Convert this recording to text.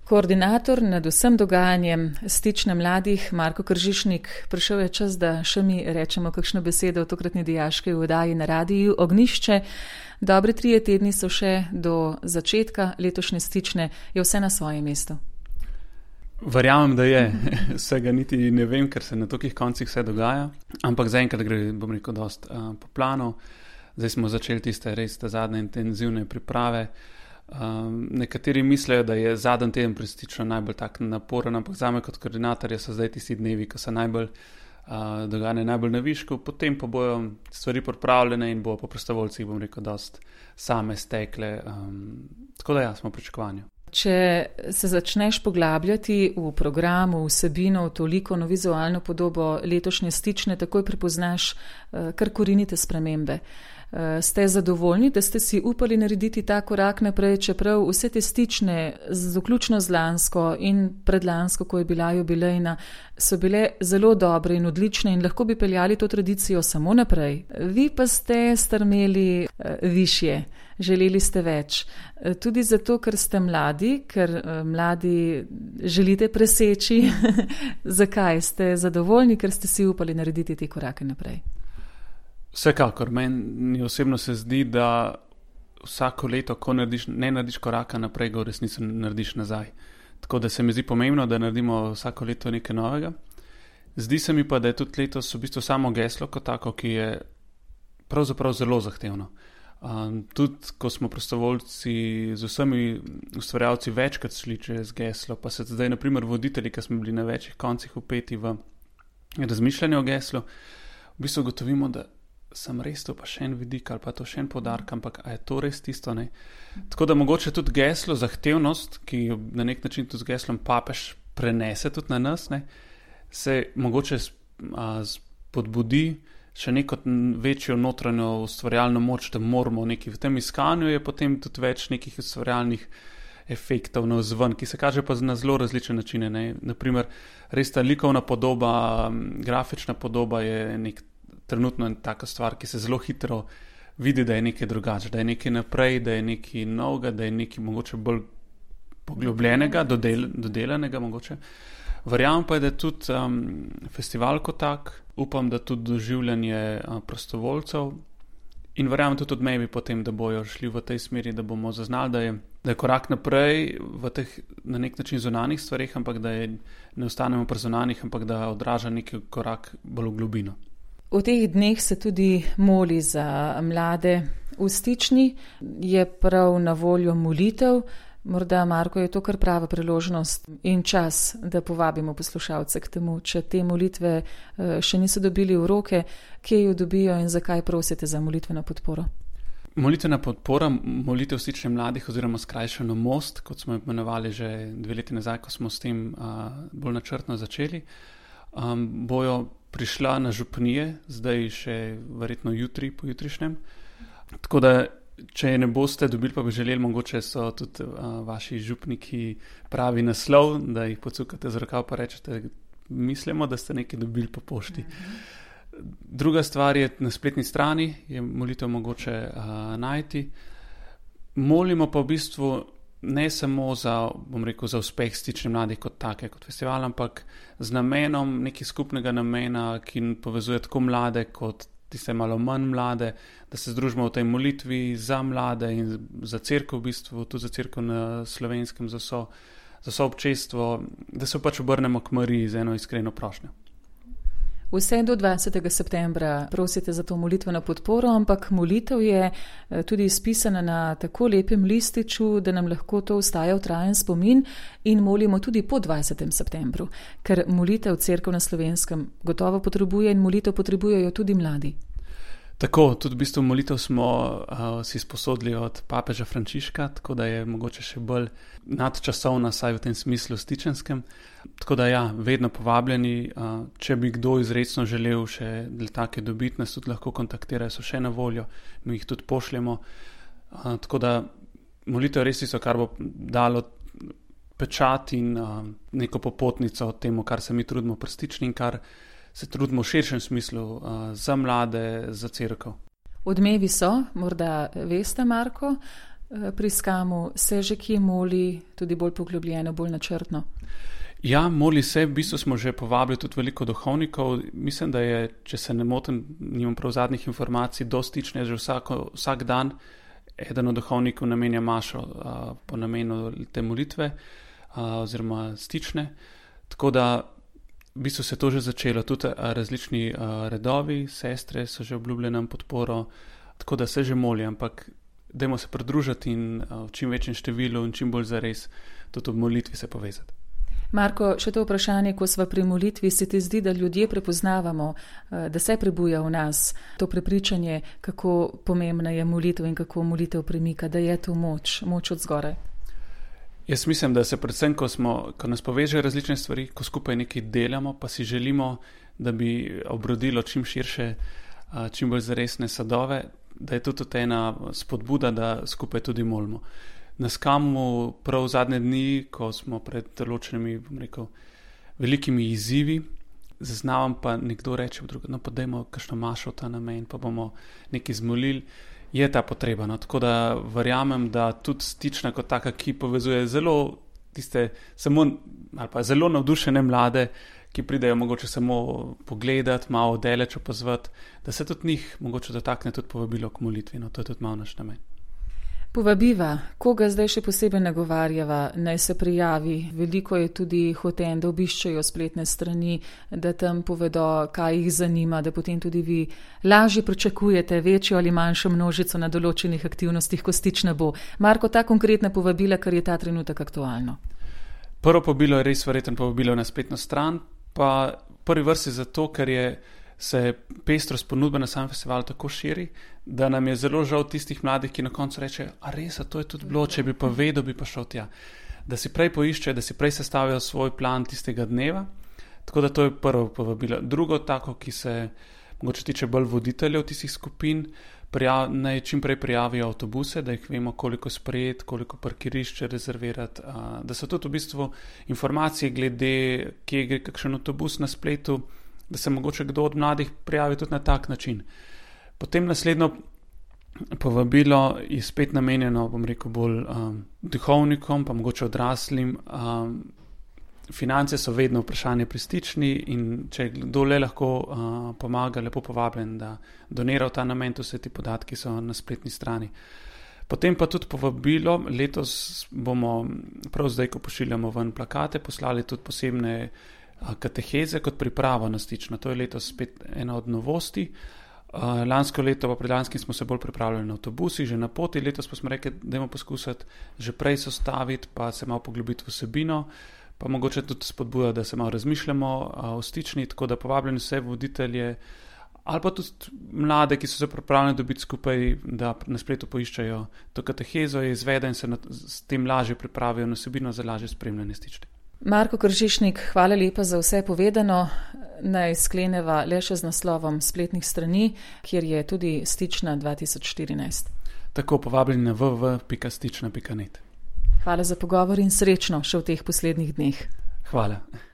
Koordinator nad vsem dogajanjem Stične mladih, Marko Kržišnik, prišel je čas, da še mi rečemo kakšno besedo v tokratni dijaški oddaji na radiju Ognjišče. Dobri 3 tedni so še do začetka letošnje Stične. Je vse na svojem mestu? Verjamem, da je. Vsega niti ne vem, ker se na tolikih koncih vse dogaja. Ampak zaenkrat gre, bom rekel, dost po planu. Zdaj smo začeli tiste res zadnje intenzivne priprave. Nekateri mislijo, da je zadnji teden pred Stično najbolj tak naporen, ampak zame kot koordinatorja so zdaj tisti dnevi, ko so najbolj dogajanje najbolj na višku, potem pa bojo stvari pripravljene in bo po prostovoljcih, bom rekel, dost same stekle. Tako da ja, smo v pričakovanju. Če se začneš poglabljati v programu, vsebino, v toliko vizualno podobo letošnje Stične, takoj prepoznaš kar korenite spremembe. Ste zadovoljni, da ste si upali narediti ta korak naprej, čeprav vse te Stične, vključno z lansko in predlansko, ko je bila jubilejna, so bile zelo dobre in odlične in lahko bi peljali to tradicijo samo naprej. Vi pa ste strmeli višje, želeli ste več. Tudi zato, ker ste mladi, ker mladi želite preseči. Zakaj ste zadovoljni, ker ste si upali narediti te korake naprej? Vsekakor, meni osebno se zdi, da vsako leto, ko ne narediš koraka naprej, ga v resnici narediš nazaj. Tako da se mi zdi pomembno, da naredimo vsako leto nekaj novega. Zdi se mi pa, da je tudi letos v bistvu samo geslo kot tako, ki je pravzaprav zelo zahtevno. Tudi, ko smo prostovoljci z vsemi ustvarjalci večkrat šli čez geslo, pa se zdaj, na primer, voditelji, ki smo bili na večjih koncih vpeti v razmišljanje o geslu, v bistvu gotovimo, da sem res to pa še en vidik ali pa to še en poudarek, ampak a je to res tisto, ne? Tako da mogoče tudi geslo, zahtevnost, ki jo na nek način tudi z geslom papež prenese tudi na nas, ne, se mogoče spodbudi še neko večjo notranjo ustvarjalno moč, da moramo nekaj v tem iskanju, je potem tudi več nekih ustvarjalnih efektov navzven, ki se kaže pa na zelo različne načine, ne. Naprimer, res ta likovna podoba, grafična podoba je trenutno je taka stvar, ki se zelo hitro vidi, da je nekaj drugače, da je nekaj naprej, da je nekaj novega, da je nekaj mogoče bolj poglobljenega, dodelanega mogoče. Verjamem pa je, da tudi festival kot tak, upam, da tudi doživljanje prostovoljcev in verjamem tudi od mebi potem, da bojo šli v tej smeri, da bomo zaznali, da je korak naprej v teh na nek način zunanjih stvareh, ampak da ne ostanemo pri zunanjih, ampak da odraža neki korak bolj v globino. V teh dneh se tudi moli za mlade v Stični, je prav na voljo molitev. Morda, Marko, je to kar prava priložnost in čas, da povabimo poslušalce k temu, če te molitve še niso dobili v roke, kje jo dobijo in zakaj prosite za molitveno podporo? Molitvena podpora, molitev Stične mladih oziroma skrajšano Most, kot smo imenovali že 2 leti nazaj, ko smo s tem bolj načrtno začeli, bojo prišla na župnije, zdaj še verjetno jutri, pojutrišnjem. Tako da, če ne boste dobili, pa bi želeli, mogoče so tudi vaši župniki pravi naslov, da jih pocukate z rokav pa rečete, mislimo, da ste nekaj dobili po pošti. Druga stvar je na spletni strani, je molitev mogoče najti. Molimo pa v bistvu ne samo za, bom rekel, za uspeh Stične mladih kot take, kot festival, ampak z namenom, nekaj skupnega namena, ki povezuje tako mlade kot tiste malo manj mlade, da se združimo v tej molitvi za mlade in za cerkev v bistvu, tudi za cerkev na Slovenskem, za vso občestvo, da se pač obrnemo k Mariji z eno iskreno prošnjo. Vse do 20. septembra prosite za to molitveno podporo, ampak molitev je tudi izpisana na tako lepem lističu, da nam lahko to ostaja v trajen spomin in molimo tudi po 20. septembru, ker molitev cerkev na Slovenskem gotovo potrebuje in molitev potrebujejo tudi mladi. Tako, tudi v bistvu molitev smo si sposodili od papeža Frančiška, tako da je mogoče še bolj nadčasovna, saj v tem smislu stičenskem. Tako da ja, vedno povabljeni, če bi kdo izrecno želel še take dobiti, nas tudi lahko kontaktirajo, so še na voljo, mi jih tudi pošljemo. Tako da molitev res tisto, kar bo dalo pečat in neko popotnico temu, kar se mi trudimo pri Stični in kar se trudimo v širšem smislu za mlade, za cerkev. Odmevi so, morda veste, Marko, pri Skamu, se že kje moli, tudi bolj poglobljeno, bolj načrtno? Ja, moli se, v bistvu smo že povabili tudi veliko duhovnikov. Mislim, da je, če se ne motim, nimam prav zadnjih informacij, do stične že vsak dan eden od duhovnikov namenja mašo po namenu te molitve oziroma stične. Tako da v bistvu se to že začelo. Tudi različni redovi, sestre so že obljubile nam podporo, tako da se že moli, ampak dajmo se pridružiti in v čim večjem številu in čim bolj zares tudi v molitvi se povezati. Marko, še to vprašanje, ko sva pri molitvi, se ti zdi, da ljudje prepoznavamo, da se prebuja v nas to prepričanje, kako pomembna je molitev in kako molitev premika, da je to moč od zgoraj? Jaz mislim, da se predvsem, ko nas povežejo različne stvari, ko skupaj nekaj delamo, pa si želimo, da bi obrodilo čim širše, čim bolj zaresne sadove, da je tudi ena spodbuda, da skupaj tudi molimo. Na Skamu prav zadnje dni, ko smo pred določenimi, bom rekel, velikimi izzivi, zaznavam pa nekdo reče v drugo, no pa dajmo kakšno mašo v ta namen, pa bomo nekaj zmolili, je ta potreba. No? Tako da verjamem, da tudi stična kot taka, ki povezuje zelo tiste, samo ali pa zelo navdušene mlade, ki pridejo mogoče samo pogledati, malo daleč opazovati, da se tudi njih mogoče dotakne tudi povabilo k molitvi. No? To je tudi malo naš namen. Povabiva, koga zdaj še posebej nagovarjava, naj se prijavi. Veliko je tudi hoten, da obiščejo spletne strani, da tam povedo, kaj jih zanima, da potem tudi vi lažje pričakujete večjo ali manjšo množico na določenih aktivnostih, ko stična bo. Marko, ta konkretna povabila, kar je ta trenutek aktualno. Prvo povabilo je res verjetno povabilo na spletno stran, pa prvi vrsti zato, ker se pestrost ponudbe na samem festivalu tako širi, da nam je zelo žal tistih mladih, ki na koncu rečejo, a res, a to je tudi bilo, če bi pa vedel, bi pa šel tja. Da si prej poiščejo, da si prej sestavijo svoj plan tistega dneva, tako da to je prvo povabilo. Drugo tako, ki se mogoče tiče bolj voditeljev tistih skupin, naj čim prej prijavijo avtobuse, da jih vemo, koliko sprejeti, koliko parkirišče rezervirati, da so tudi v bistvu informacije glede, kje gre kakšen avtobus na spletu, da se mogoče kdo od mladih prijavi tudi na tak način. Potem naslednjo povabilo je spet namenjeno, bom rekel, bolj duhovnikom, pa mogoče odraslim. Finance so vedno vprašanje pri stični in če kdo le lahko pomaga, lepo povabljen, da donira v ta namen, to vse ti podatki so na spletni strani. Potem pa tudi povabilo, letos bomo prav zdaj, ko pošiljamo ven plakate, poslali tudi posebne kateheze kot pripravo na stično. To je letos spet ena od novosti. Lansko leto, pa predlanskim smo se bolj pripravljali na avtobusi, že na poti, letos pa smo rekli, dajmo poskusiti že prej sostaviti, pa se malo poglobiti v vsebino, pa mogoče tudi spodbuja, da se malo razmišljamo o stični, tako da povabljeni vse voditelje ali pa tudi mlade, ki so se pripravljeni dobiti skupaj, da na spletu poiščajo to katehezo, je izveden in se s tem lažje pripravijo na vsebino za lažje spremljanje stične. Marko Kržišnik, hvala lepa za vse povedano. Naj skleneva le še z naslovom spletnih strani, kjer je tudi stična 2014. Tako, povabljeni na www.stična.net. Hvala za pogovor in srečno še v teh poslednjih dneh. Hvala.